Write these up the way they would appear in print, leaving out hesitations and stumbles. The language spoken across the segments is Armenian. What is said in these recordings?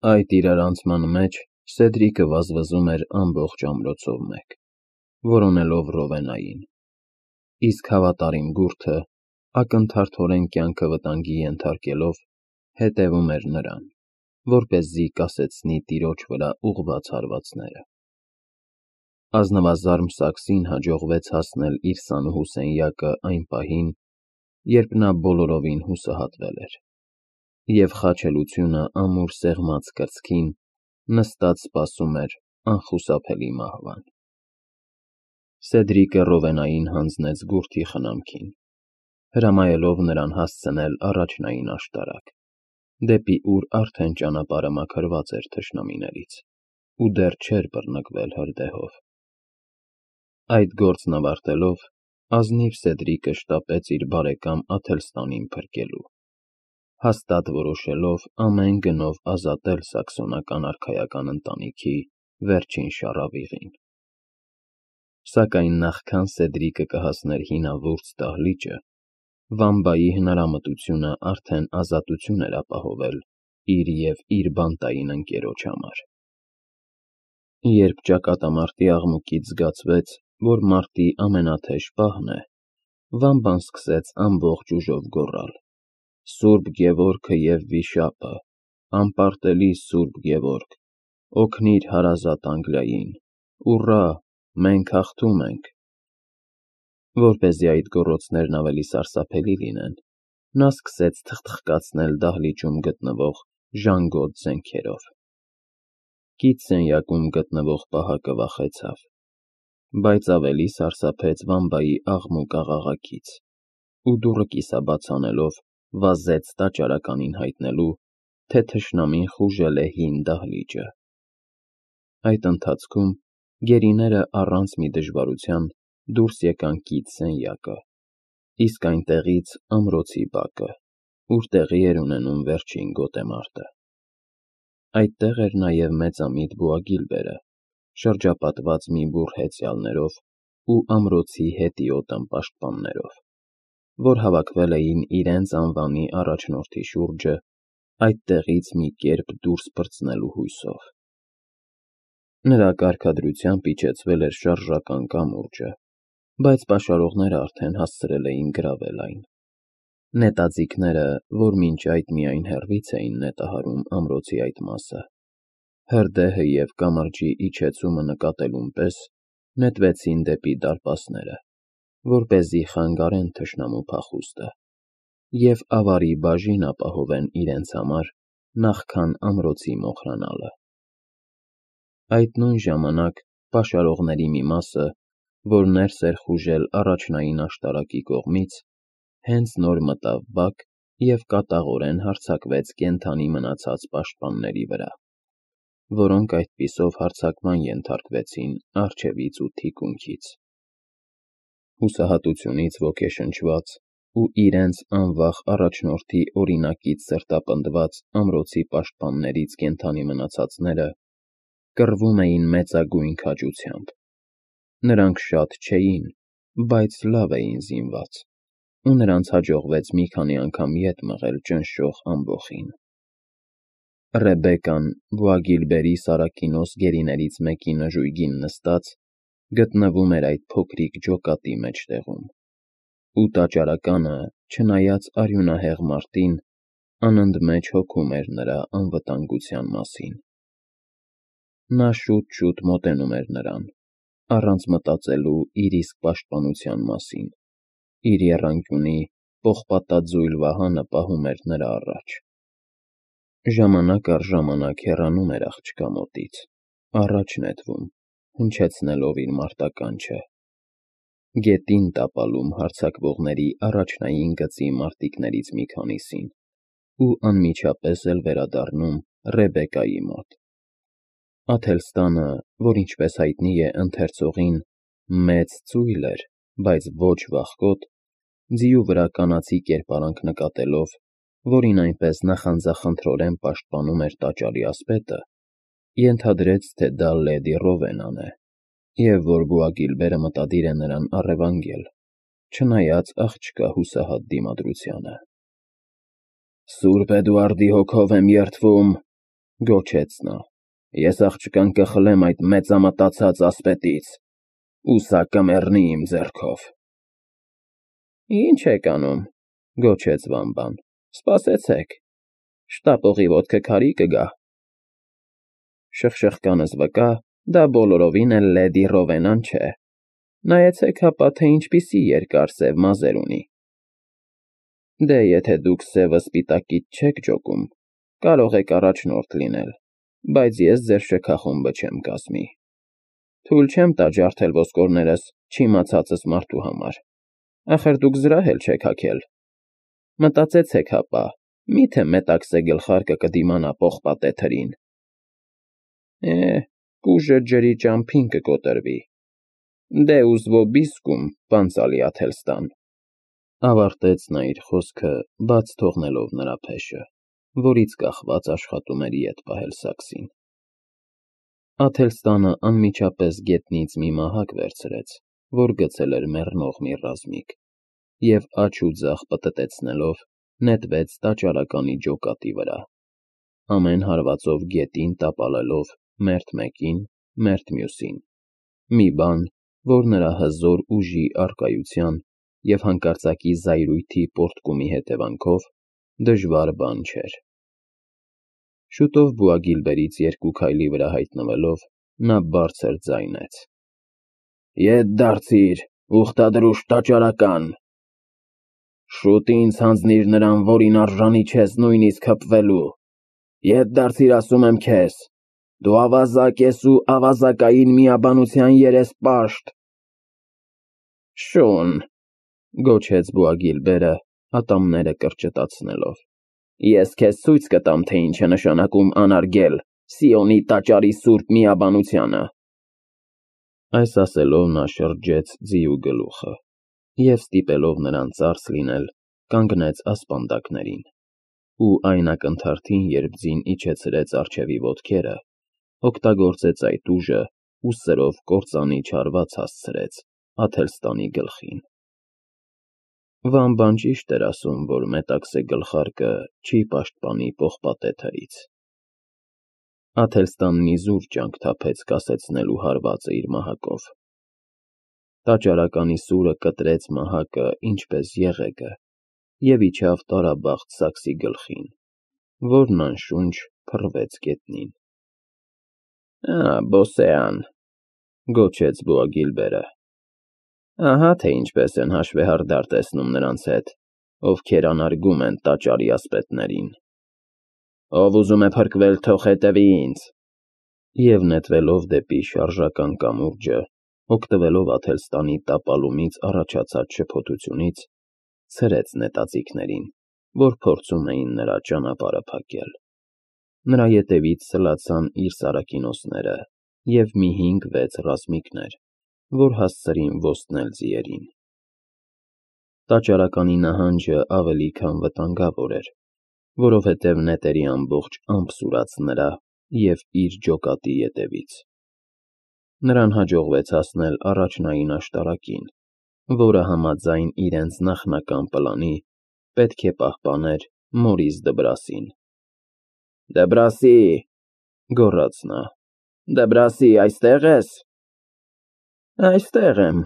Այդ իրարանցման մեջ Սեդրիկը վազվզում էր ամբողջ ամրոցով մեկ, որոնելով Ռովենային, իսկ հավատարիմ գուրդը, ակնթարթորեն կյանքը վտանգի ենթարկելով, հետևում էր նրան, որպեսզի կասեցնի տիրոջ վրա ուղղված հարվածները։ Ազնվազարմ Սաքսին հաջողվեց հասնել իր սանուհու սենյակը այն պահին, երբ նա բոլորովին հուսահատվել էր, և խաչելությունը ամուր սեղմած կրծքին նստած սպասում էր անխուսափելի մահվան։ Սեդրիկը Ռովենային հանձնեց գուրդի խնամքին, հրամայելով նրան հասցնել առաջնային աշտարակ, դեպի ուր արդեն ճանապարհը մաքրված էր թշնամիներից, ու դեռ չէր բռնկվել հրդեհով։ Այդ գործն ավարտելով, ազնիվ Սեդրիկը շտապեց իր բարեկամ Աթելստանին փրկելու, հաստատ որոշելով ամեն գնով ազատել սաքսոնական արքայական ընտանիքի վերջին շառավիղին։ Սակայն նախքան Սեդրիկը կհասներ հինավուրց դահլիճը, Վամբայի հնարամտությունը արդեն ազատություն էր ապահովել իր և իր բանտային ընկերոջ համար։ Երբ ճակատամարտի աղմուկից զգացվեց, որ մարտի ամենաթեժ պահն է, Վամբան սկսեց ամբողջ ուժով գոռալ. «Սուրբ Գևորգը և Վիշապը, անպարտելի Սուրբ Գևորգ, օգնիր հարազատ Անգլիային, ուռա, մենք հաղթում ենք»։ Որպեսզի այդ գոռոցներն ավելի սարսափելի լինեն, նա սկսեց թխթխկացնել դահլիճում գտնվող ժանգոտ զենքերով։ Կից սենյակում գտնվող պահակը վախեցավ, բայց ավելի սարսափեց Վամբայի աղմուկ աղաղակից, ու դուռը կիսաբաց անելով վազեց տաճարականին հայտնելու, թե թշնամին խուժել է հին դահլիճը։ Այդ ընթացքում գերիները առանց մի դժվարության դուրս եկան կից սենյակը, իսկ այնտեղից ամրոցի բակը, ուր տեղի էր ունենում վերջին գոտեմարտը։ Այդտեղ էր նաև մեծամիտ Բոագիլբերը, շրջապատված մի բուռ հեծյալներով ու ամրոցի հետիոտ պաշտպաններով, որ հավաքվել էին իրենց անվանի առաջնորդի շուրջը այդտեղից մի կերպ դուրս պրծնելու հույսով։ Նրա կարգադրությամբ իջեցվել էր շարժական կամուրջը, բայց պաշարողները արդեն հասցրել էին գրավել այն։ Նետաձիգները, որ մինչ այդ միայն հեռվից էին նետահարում ամրոցի այդ մասը, հրդեհը և կամրջի իջեցումը նկատելուն պես, նետվեցին դեպի դարպասները, որպեսզի խանգարեն թշնամու փախուստը և ավարի բաժին ապահովեն իրենց համար նախքան ամրոցի մոխրանալը։ Այդ նույն ժամանակ պաշարողների մի մասը, որ ներս էր խուժել առաջնային աշտարակի կողմից, հենց նոր մտավ բակ և կատաղորեն հարձակվեց կենդանի մնացած պաշտպանների վրա, որոնք այդպիսով հարձակման ենթարկվեցին առջևից ու թիկունքից։ Հուսահատությունից ոգեշնչված ու իրենց անվախ առաջնորդի օրինակից սրտապնդված ամրոցի պաշտպաններից կենդանի մնացածները կռվում էին մեծագույն քաջությամբ։ Նրանք շատ չէին, բայց լավ էին զինված, ու նրանց հաջողվեց մի քանի անգամ ետ մղել ճնշող ամբոխին։ Ռեբեկան, Բոագիլբերի սարակինոս գերիներից մեկի նժույգին նստած, գտնվում էր այդ փոքրիկ ջոկատի մեջտեղում, ու տաճարականը, չնայած արյունահեղ մարտին, անընդմեջ հոգում էր նրա անվտանգության մասին։ Նա շուտ-շուտ մոտենում էր նրան, առանց մտածելու իր իսկ պաշտպանության մասին, իր եռանկյունի պողպատաձույլ վահանը պահում էր նրա առաջ։ Ժամանակ առ ժամանակ հեռանում էր աղջկա մոտից, առաջ նետվում, հնչեցնելով իր մարտականչը, գետին տապալում հարձակվողների առաջնային գծի մարտիկներից մի քանիսին ու անմիջապես էլ վերադառնում Ռեբեկայի մոտ։ Աթելստանը, որ ինչպես հայտնի է ընթերցողին, մեծ ծույլ էր, բայց ոչ վախկոտ, ձիու վրա կանացի կերպարանք նկատելով, որին այնպես նախանձախնդրորեն պաշտպանում էր տաճարի ասպետը, ենթադրեց, թե դա լեդի Ռովենան է, և որ Բոագիլբերը մտադիր է նրան առևանգել, չնայած աղջկա հուսահատ դիմադրությանը։ «Սուրբ Էդուարդի հոգով եմ երդվում, Գոչեց նա։ Ես աղջկան կխլեմ այդ մեծամտածած ասպետից, ու սա կմեռնի իմ ձեռքով։ Ինչ եք անում, գոչեց Վամբան, սպասեցեք, շտապողի ոտքը քարի կգա։ Շխշխկանս վկա, դա բոլորովին էլ լեդի Ռովենան չէ, նայեցեք հապա, թե ինչպիսի երկար սև մազեր ունի։ Դե եթե դուք սևը սպիտակից չեք ջոկում, կարող եք առաջնորդ լինել, բայց ես ձեր շքախումբը չեմ կազմի։ Թույլ չեմ տա ջարդել ոսկորներս չիմացածս մարդու համար, ախր դուք զրահ էլ չեք հագել։ Մտածեցեք հապա, միթե մետաքսե գլխարկը կդիմանա պողպատե թրին։ Կուժը ջրի ճամփին կկոտրվի։ Դե ուզվոբիսկում, պանցալի Աթելստան, ավարտեց նա իր խոսքը, բաց թողնելով նրա փեշը, որից կախված աշխատում էր ետ պահել սաքսին։ Աթելստանը անմիջապես գետնից մի մահակ վերցրեց, որ գցել էր մեռնող մի ռազմիկ, և աջ ու ձախ պտտեցնելով նետվեց տաճարականի ջոկատի վրա, ամեն հարվածով գետին տապալելով մերթ մեկին, մերթ մյուսին, մի բան, որ նրա հզոր ուժի առկայության և հանկարծակի զայրույթի պոռթկումի հետևանքով դժվար բան չէր։ Շուտով Բուագիլբերից 2 քայլի վրա հայտնվելով, նա բարձր ձայնեց. Ետ դարձիր, ուխտադրուժ տաճարական։ Շուտ ինձ հանձնիր նրան, որին արժանի չես նույնիսկ հպվելու։ Ետ դարձիր, ասում եմ քեզ, դու ավազակ ես ու ավազակային միաբանության երեսպաշտ։ Շուն, գոչեց Բուագիլբերը, ատամները կրճտացնելով, ես քեզ ցույց կտամ, թե ինչ է նշանակում անարգել Սիոնի տաճարի սուրբ միաբանությունը։ Այս ասելով նա շրջեց ձիու գլուխը և ստիպելով նրան ծարս լինել, կանգնեց ասպանդակներին, ու այն ակնթարթին, երբ ձին իջեցրեց առջևի ոտքերը, օգտագործեց այդ ուժը ու սրով կործանի չարված հասցրեց Աթելստանի գլխին։ Վամբան ճիշտ էր ասում, որ մետաքսե գլխարկը չի պաշտպանի պողպատե թրից։ Աթելստանն իզուր ջանք թափեց կասեցնելու հարվածը իր մահակով։ Տաճարականի սուրը կտրեց մահակը ինչպես եղեգը և իջավ տարաբախտ սաքսի գլխին, որն անշունչ փռվեց գետնին։ Բոսեան, գոչեց Բուագիլբերը, ահա թե ինչպես են հաշվեհարդար տեսնում նրանց հետ, ովքեր անարգում են տաճարի ասպետներին։ Ով ուզում է փրկվել, թող հետևի ինձ։ Եվ նետվելով դեպի շարժական կամուրջը, օգտվելով Աթելստանի տապալումից առաջացած շփոթությունից, ցրեց նետաձիգներին, որ փորձում էին նրա ճանապարհը փակել։ Նրա ետևից սլացան իր սարաքինոսները և մի 5-6 ռազմիկներ, որ հասցրին ոստնել ձիերին։ Տաճարականի նահանջը ավելի քան վտանգավոր էր, որովհետև նետերի ամբողջ ամպ սուրաց նրա և իր ջոկատի ետևից։ Նրան հաջողվեց հասնել առաջնային աշտարակին, որը համաձայն իրենց նախնական պլանի պետք է պահպաներ Մորիս Դբրասին։ Դբրասի, գոռաց նա, Դբրասի, այստե՞ղ ես։ Այստեղ եմ,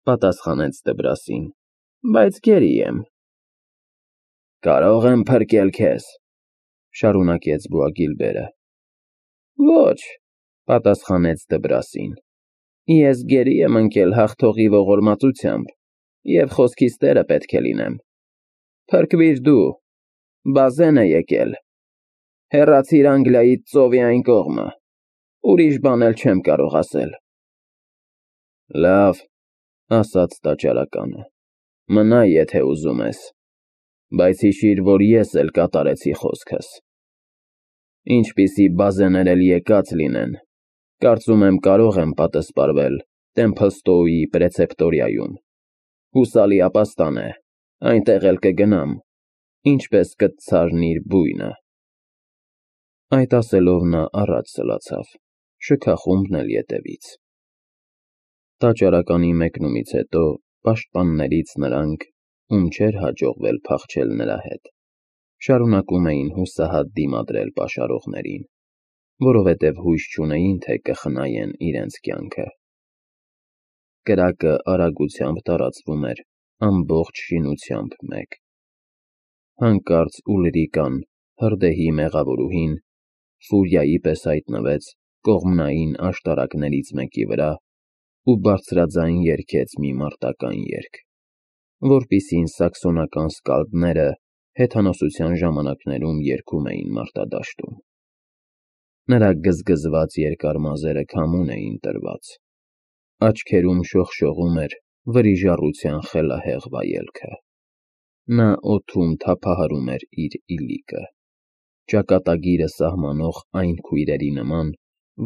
պատասխանեց Դբրասին, բայց գերի եմ։ Կարո՞ղ եմ փրկել քեզ, շարունակեց Բուագիլբերը։ Ոչ, պատասխանեց Դբրասին, ես գերի եմ ընկել հաղթողի ողորմածությամբ և խոսքիս տերը պետք է լինեմ։ Փրկվիր դու, բազեն է եկել, հեռացիր Անգլիայից ծովի այն կողմը, ուրիշ բան էլ չեմ կարող ասել։ Լավ, ասաց տաճարականը, մնա, եթե ուզում ես, բայց հիշիր, որ ես էլ կատարեցի խոսքս։ Ինչպիսի բազեներ էլ եկած լինեն, կարծում եմ կարող եմ պատասպարվել Տեմփլստոուի պրեցեպտորիայում։ Հուսալի ապաստան է, այնտեղ էլ կգնամ, ինչպես կտցարն իր բույնը։ Այդ ասելով նա առաջ սլացավ, շքախումբն էլ ետևից։ Տաճարականի մեկնումից հետո պաշտպաններից նրանք, ում չէր հաջողվել փախչել նրա հետ, շարունակում էին հուսահատ դիմադրել պաշարողներին։ որովհետև հույս չունեին, թե կխնայեն իրենց կյանքը։ Կրակը արագությամբ տարածվում էր, ամբողջ շինությամբ մեկ։ Հանկարծ Ուլրիկան, հրդեհի մեղավորուհին, ֆուրիայի պես հայտնվեց կողմնային աշտարակներից մեկի վրա ու բարձրաձայն երգեց մի մարտական երգ, որպիսին սաքսոնական սկալդները հեթանոսության ժամանակներում երգում էին մարտադաշտում։ Նրա գզգզված երկար մազերը քամուն էին տրված, աչքերում շողշողում էր վրիժառության խելահեղ վայելքը։ Նա օդում թափահարում էր իր իլիկը, ճակատագիրը սահմանող այն քույրերի նման,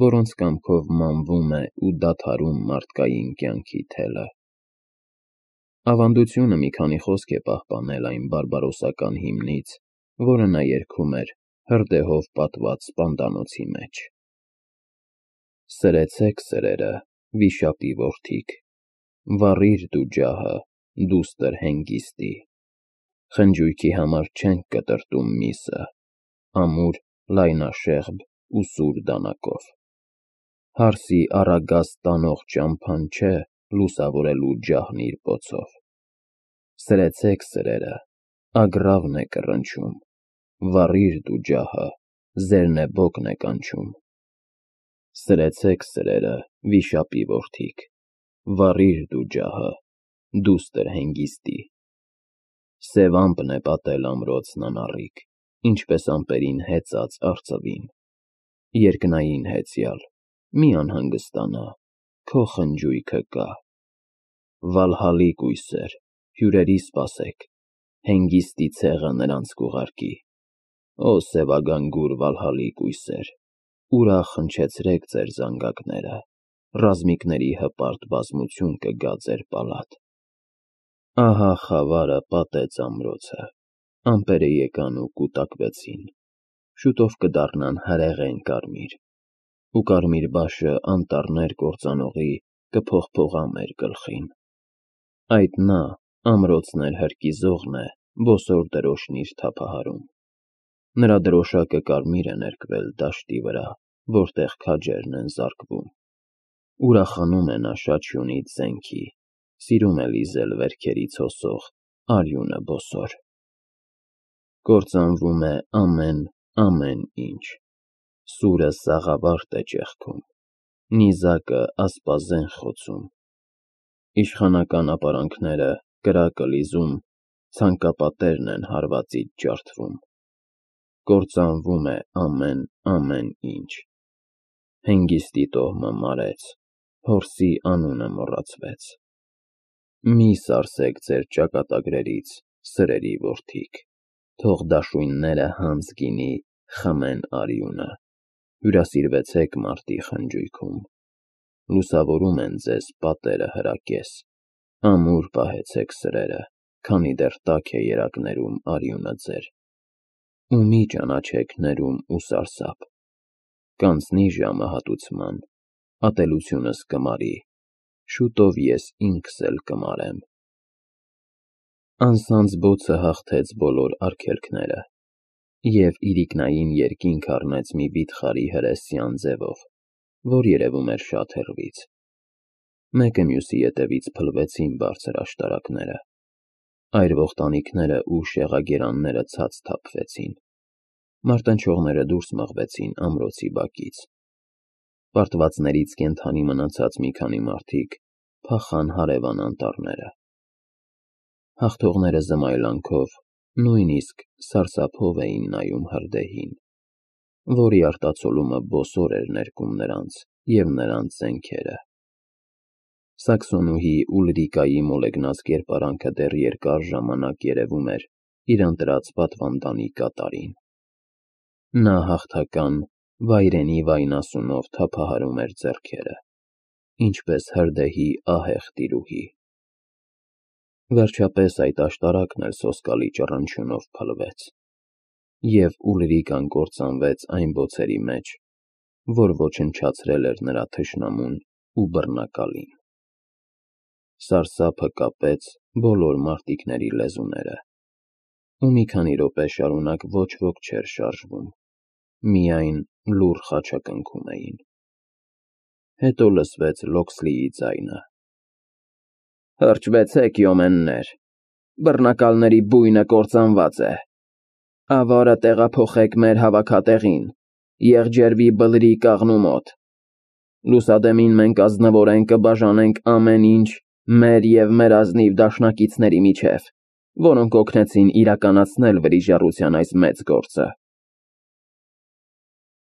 որոնց կամքով մանվում է ու դադարում մարդկային կյանքի թելը։ Ավանդությունը մի քանի խոսք է պահպանել այն բարբարոսական հիմնից, որը նա երգում էր հրդեհով պատված սպանդանոցի մեջ. Սրեցեք սրերը, վիշապի որդիք, վառիր դու ջահը, դուստր հենգիստի, խնջույքի համար չենք կտրտում միսը, ամուր, լայնաշեղբ ու սուր դանակով, հարսի առագաստ տանող ճամփան չէ լուսավորելու ջահն իր պոցով, սրեցեք սրերը, ագռավն է կռնչում, վառիր դու ջահը, զերնեբոկն է կանչում, սրեցեք սրերը, վիշապի որդիք, վառիր դու ջահը, դուստր հենգիստի, սև ամպն է պատել ամրոցն անառիկ, ինչպես ամպերին հեծած արծվին, երկնային հեծյալ, մի անհանգստանա, քո խնջույքը կա, Վալհալի կույսեր, հյուրերի սպասեք, հենգիստի ցեղը նրանց կուղարկի, Ո սևագանգուր Վալհալի կույսեր, ուրախ հնչեցրեք ձեր զանգակները, ռազմիկների հպարտ բազմություն կգա ձեր պալատ։ Ահա խավարը պատեց ամրոցը, ամպերը եկան ու կուտակվեցին, շուտով կդառնան հրեղեն կարմիր, ու կարմիր բաշը անտառներ կործանողի կփողփողա մեր գլխին։ Այդ նա, ամրոցն էլ հրկիզողն է, բոսոր դրոշն իր թափահարում։ Նրա դրոշակը կարմիր է ներկվել դաշտի վրա, որտեղ քաջերն են զարկվում։ Ուրախանում է նա շաչյունից զենքի, սիրում է լիզել վերքերից հոսող արյունը բոսոր։ Կործանվում է ամեն ինչ, սուրը սաղավարտ է ճեղքում, նիզակը ասպազեն խոցում, իշխանական ապարանքները կրակը լիզում, ցանկապատերն են հարվածից ջարդվում, կործանվում է ամեն ինչ, հենգիստի տոհմը մարեց, հորսի անունը մոռացվեց։ Մի սարսեք ձեր ճակատագրերից, սրերի որդիք, թող դաշույնները հանց գինի խմեն արյունը, հյուրասիրվեցեք մարտի խնջույքում, լուսավորում են ձեզ պատերը հրակես, ամուր պահեցեք սրերը, քանի դեռ տաք է երակներում արյունը ձեր, ու մի ճանաչեք ներում ու սարսափ, կանցնի ժամը հատուցման, ատելությունս կմարի, շուտով ես ինքս էլ կմարեմ։ Անսանձ բոցը հաղթեց բոլոր արգելքները, և իրիկնային երկինք առնեց մի վիթխարի հրեսյան ձևով, որ երևում էր շատ հեռվից։ Մեկը մյուսի ետևից փլվեցին բարձր աշտարակները, այրվող տանիքները ու շեղագերանները ցած թափվեցին, մարտնչողները դուրս մղվեցին ամրոցի բակից, պարտվածներից կենդանի մնացած մի քանի մարդիկ փախան հարևան անտառները։ Հաղթողները զմայլանքով, նույնիսկ սարսափով էին նայում հրդեհին, որի արտացոլումը բոսոր էր ներկում նրանց և նրանց զենքերը։ Սաքսոնուհի Ուլրիկայի մոլեգնած կերպարանքը դեռ երկար ժամանակ երևում էր իր ընտրած պատվանդանի կատարին։ Նա հաղթական, վայրենի վայնասունով թափահարում էր ձեռքերը, ինչպես հրդեհի ահեղ տիրուհի։ Վերջապես այդ աշտարակն էլ սոսկալի ճռնչյունով փլվեց, և Ուլրիկան կործանվեց այն բոցերի մեջ, որ ոչնչացրել էր նրա թշնամուն ու բռնակալին։ Սարսափը կապեց բոլոր մարտիկների լեզուները, ու մի քանի րոպե շարունակ ոչ ոք չէր շարժվում, միայն լուռ խաչակնքում էին։ Հետո լսվեց Լոքսլիի ձայնը. Հրճվեցեք, յոմեններ, բռնակալների բույնը կործանված է, ավարը տեղափոխեք մեր հավաքատեղին, եղջերվի բլրի կաղնու մոտ, լուսադեմին մենք ազնվորեն կբաժանենք ամեն ինչ մեր և մեր ազնիվ դաշնակիցների միջև, որոնք օգնեցին իրականացնել վրիժառության այս մեծ գործը։